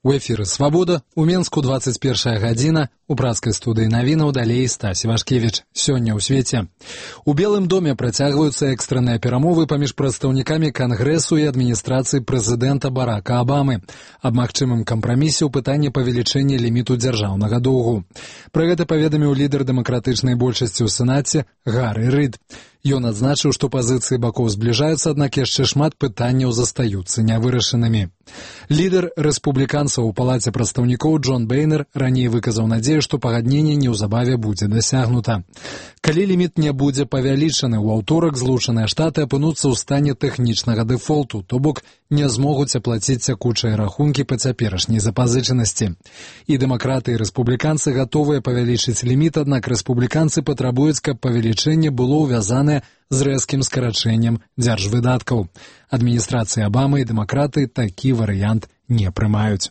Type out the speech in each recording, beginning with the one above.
У эфіры «Свабода», у Менску 21 гадзіна, у працкай студыі навінаў далей Стась Івашкевіч. Сёння ў свеце. У Белым доме працягваюцца экстранныя перамовы паміж прадстаўнікамі Кангрэсу і адміністрацыі прэзідэнта Барака Абамы аб магчымым кампрамісе ў пытанні павелічэння ліміту дзяржаўнага доўгу. Пра гэта паведаміў лідар дэмакратычнай большасці ў Сенаце Гаррі Рид. Ён адзначыў, што пазіцыі бакоў збліжаюцца, аднак яшчэ шмат пытанняў застаюцца нявырашанымі. Лідар рэспубліканцаў у палаце прадстаўнікоў Джон Бейнер раней выказаў надзею, што пагадненне неўзабаве будзе дасягнута. Калі ліміт не будзе павялічаны, у аўторак Злучаныя Штаты апынуцца ў стане тэхнічнага дэфолту, то бок не змогуць аплаціць цякучыя рахункі па цяперашняй запазычанасці. І дэмакраты і рэспубліканцы гатовыя павялічыць ліміт, аднак рэспубліканцы патрабуюць, каб павелічэнне было ўвязанае з рэзкім скарачэннем дзяржвыдаткаў. Адміністрацыя Абамы і дэмакраты такі варыянт не прымаюць.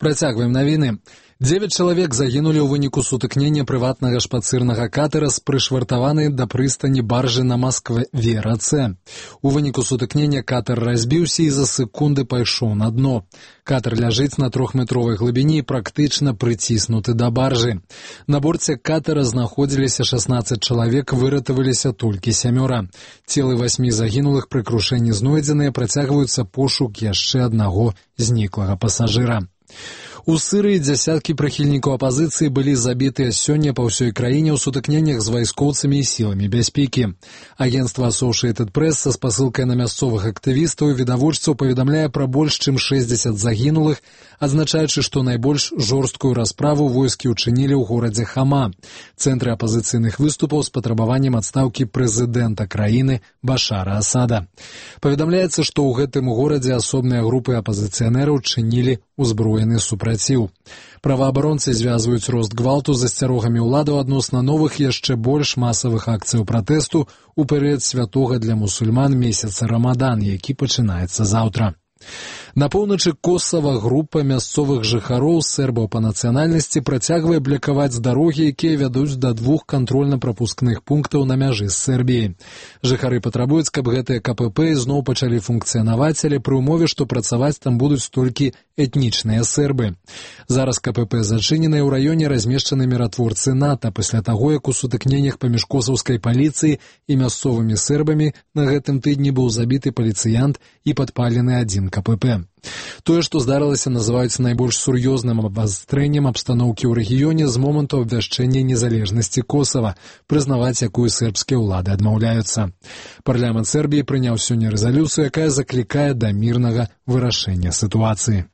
Працягваем навіны. 9 чалавек загінулі ў выніку сутыкнення прыватнага шпацырнага катера з прышвартаванай да прыстані баржы на Маскве-рацэ. У выніку сутыкнення катер разбіўся і за секунды пайшоў на дно. Катер ляжыць на 3-метровай глыбіні і практычна прыціснуты да баржы. На борце катера знаходзіліся 16 чалавек, выратаваліся толькі 7. Целы 8 загінулых пры крушэнні знойдзеныя, працягваюцца пошук яшчэ аднаго зніклага пасажыра. У Сырыі дзясяткі прыхільнікаў апазіцыі былі забітыя сёння па ўсёй краіне ў сутыкненнях з вайскоўцамі і сіламі бяспекі. Агенцтва Associated Press са спасылкай на мясцовых актывістаў і відавочцаў паведамляе пра больш чым 60 загінулых, адзначаючы, што найбольш жорсткую расправу войскі ўчынілі ў горадзе Хама, цэнтры апазіцыйных выступаў з патрабаваннем адстаўкі прэзідэнта краіны Башара Асада. Паведамляецца, што ў гэтым горадзе асобныя групы апазіцыянераў чынілі узброены супраціў. Праваабаронцы звязваюць рост гвалту з асцярогамі ўладаў адносна новых яшчэ больш масавых акцыяў пратэсту ў перыяд святога для мусульман месяца Рамадан, які пачынаецца заўтра. На поўначы Косава група мясцовых жыхароў сербаў па нацыянальнасці працягвае блакаваць дарогі, якія вядуць да 2 кантрольна-прапускных пунктаў на мяжы з Сербіяй. Жыхары патрабуюць, каб гэтыя КПП зноў пачалі функцыянаваць, але пры ўмове, што працаваць там будуць толькі этнічныя сербы. Зараз КПП зачыненыя ў раёне размешчаны міратворцы НАТО пасля таго, як у сутыкненнях паміж косаўскай паліцыяй і мясцовымі сербамі на гэтым тыдні быў забіты паліцыянт і падпалены адзін КПП. Тое, што здарылася, называюць найбольш сур'ёзным абвастрэннем абстаноўкі ў рэгіёне з моманту абвяшчэння незалежнасці Косава, прызнаваць якую сербскія ўлады адмаўляюцца. Парламент Сербіі прыняў сёння рэзалюцыю, якая заклікае да мірнага вырашэння сітуацыі.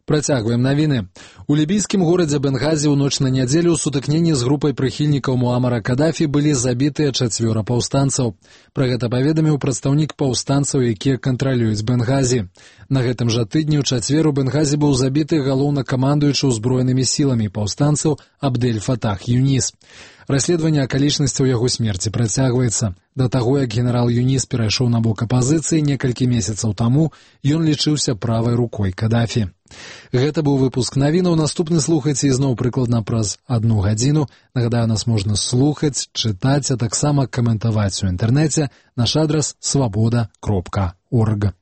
Працягваем навіны. У лібійскім горадзе Бенгазі ў ноч на нядзелю ў сутыкненні з групай прыхільнікаў Муамара Кадафі былі забітыя 4 паўстанцаў. Пра гэта паведаміў прадстаўнік паўстанцаў, якія кантралююць Бенгазі. На гэтым жа тыдні ў чацвер у Бенгазі быў забіты галоўнакамандуючы ўзброенымі сіламі паўстанцаў Абдель Фатах Юніс. Расследаванне акалічнасцяў яго смерці працягваецца. Да таго, як генерал Юніс перайшоў на бок апазіцыі некалькі месяцаў таму, ён лічыўся правай рукой Кадафі. Гэта быў выпуск навінаў. Наступны слухайце ізноў прыкладна праз 1 гадзіну. Нагадаю, нас можна слухаць, чытаць, а таксама каментаваць у інтэрнэце. Наш адрас свабода.орг.